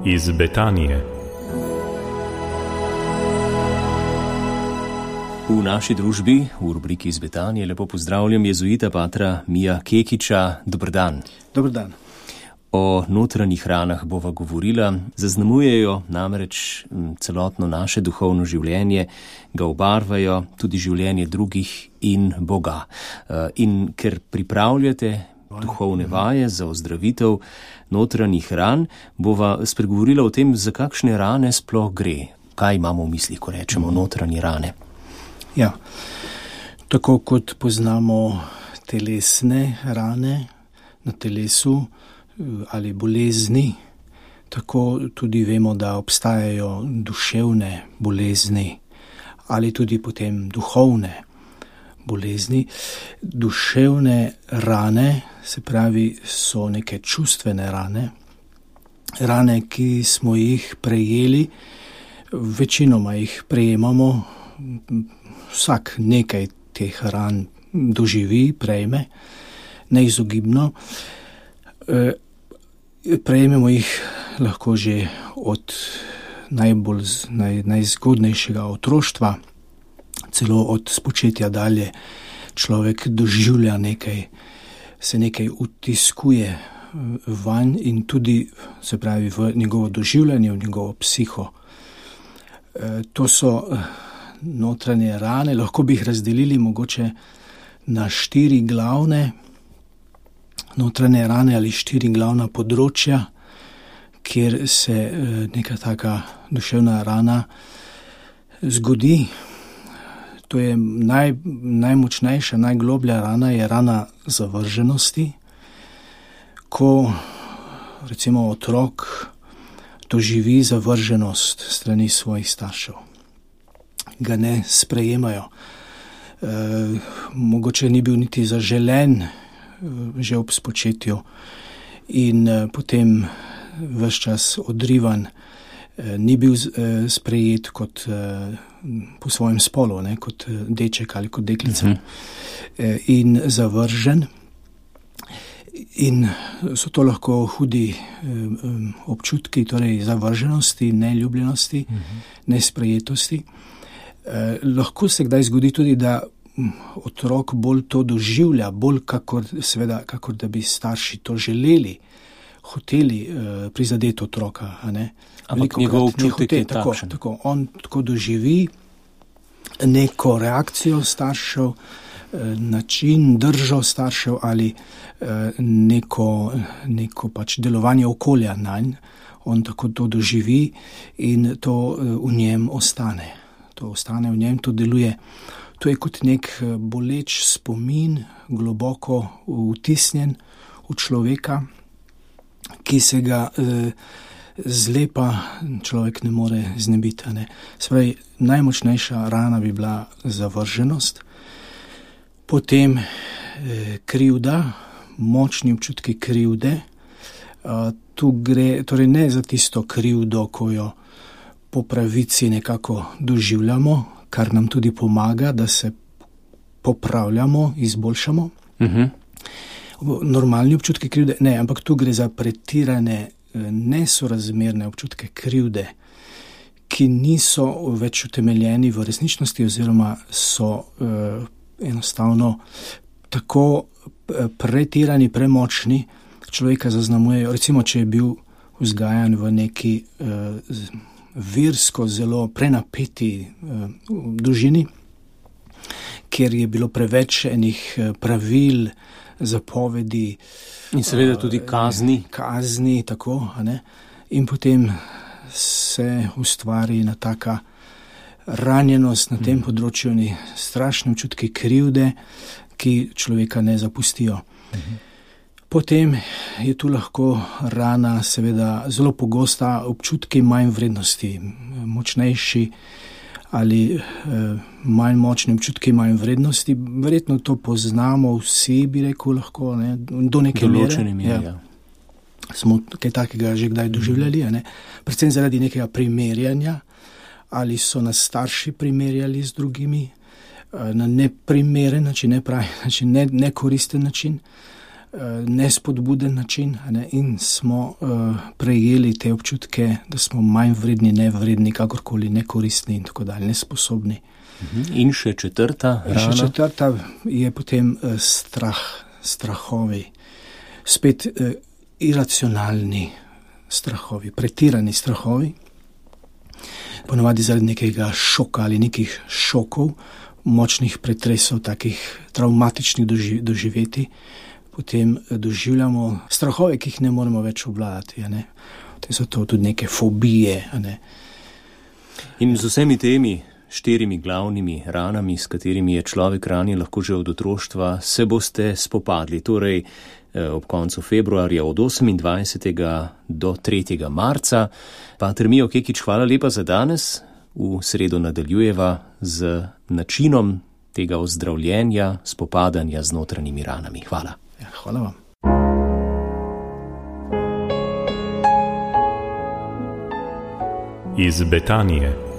Iz Betanije. V naši družbi, v rubriki Iz Betanije, lepo pozdravljam jezuita patra Mija Kekiča. Dober dan. Dober dan. O notranjih ranah bova govorila. Zaznamujejo namreč celotno naše duhovno življenje, ga obarvajo tudi življenje drugih in Boga. In ker pripravljate duhovne vaje za ozdravitev notranjih ran, bova spregovorila o tem, za kakšne rane sploh gre. Kaj imamo v mislih, ko rečemo notranje rane? Ja, tako kot poznamo telesne rane na telesu ali bolezni, tako tudi vemo, da obstajajo duševne bolezni ali tudi potem duhovne bolezni. Duševne rane, se pravi, so neke čustvene rane, rane, ki smo jih prejeli, večinoma jih prejemamo, vsak nekaj teh ran doživi, prejme, neizogibno. Prejmemo jih lahko že od najzgodnejšega otroštva, celo od spočetja dalje. Človek doživlja nekaj, se nekaj utiskuje vanj in tudi, se pravi, v njegovo doživljanje, v njegovo psiho. To so notranje rane, lahko bi jih razdelili mogoče na 4 glavne notranje rane ali 4 glavna področja, kjer se neka taka duševna rana zgodi. To je najmočnejša, najgloblja rana, je rana zavrženosti, ko recimo otrok doživi zavrženost strani svojih staršev. Ga ne sprejemajo. Mogoče ni bil niti zaželen že ob spočetju in potem ves čas odrivan, ni bil sprejet kot po svojem spolu, ne, kot deček ali kot deklica, in zavržen. In so to lahko hudi občutki, torej zavrženosti, neljubljenosti, nesprejetosti. Lahko se kdaj zgodi tudi, da otrok bolj to doživlja, bolj kakor da bi starši to želeli, hoteli prizadeti otroka. Ampak njegov občutek je takšen. Tako, on tako doživi neko reakcijo staršev, način, držo staršev ali neko pač delovanje okolja nanj. On tako to doživi in to v njem ostane. To ostane v njem, to deluje. To je kot nek boleč spomin, globoko vtisnjen v človeka, ki se ga zlepa človek ne more znebiti. Spravi, najmočnejša rana bi bila zavrženost, potem krivda, močni občutki krivde. Tu gre torej ne za tisto krivdo, ko jo po pravici nekako doživljamo, kar nam tudi pomaga, da se popravljamo, izboljšamo. Normalni občutki krivde, ne, ampak tu gre za pretirane, nesorazmerne občutke krivde, ki niso več utemeljeni v resničnosti oziroma so enostavno tako pretirani, premočni, človeka zaznamujejo. Recimo, če je bil vzgajan v neki versko zelo prenapeti družini, kjer je bilo preveč enih pravil, zapovedi. In seveda tudi kazni. Kazni, tako. In potem se ustvari ena taka ranjenost na tem področju, strašne občutki krivde, ki človeka ne zapustijo. Potem je tu lahko rana, seveda zelo pogosta, občutki manj vrednosti, močnejši ali manj močni občutki manj vrednosti. Verjetno to poznamo vsi, bi rekel, lahko, ne, do neke mere. Ja. Smo kaj takega že kdaj doživljali, predvsem zaradi nekega primerjanja, ali so nas starši primerjali z drugimi na neprimeren način, nepravi način, nekoristen način. nespodbuden način, ne? In smo prejeli te občutke, da smo manj vredni, nevredni, kakorkoli nekoristni in tako dalje, nesposobni. In še četrta rana? Še četrta je potem strahovi, spet iracionalni strahovi, pretirani strahovi, ponavadi zaradi nekega šoka ali nekih šokov, močnih pretresov, takih travmatičnih doživeti, potem doživljamo strahove, ki jih ne moremo več obvladati. Te so to tudi neke fobije. In z vsemi temi 4 glavnimi ranami, s katerimi je človek ranjen lahko že od otroštva, se boste spopadli. Torej, ob koncu februarja od 28. do 3. marca. Pater Mijo Kekič, hvala lepa za danes. V sredo nadaljujeva z načinom tega ozdravljenja, spopadanja z notranjimi ranami. Hvala. Ja, hvala vam. Iz Betanije.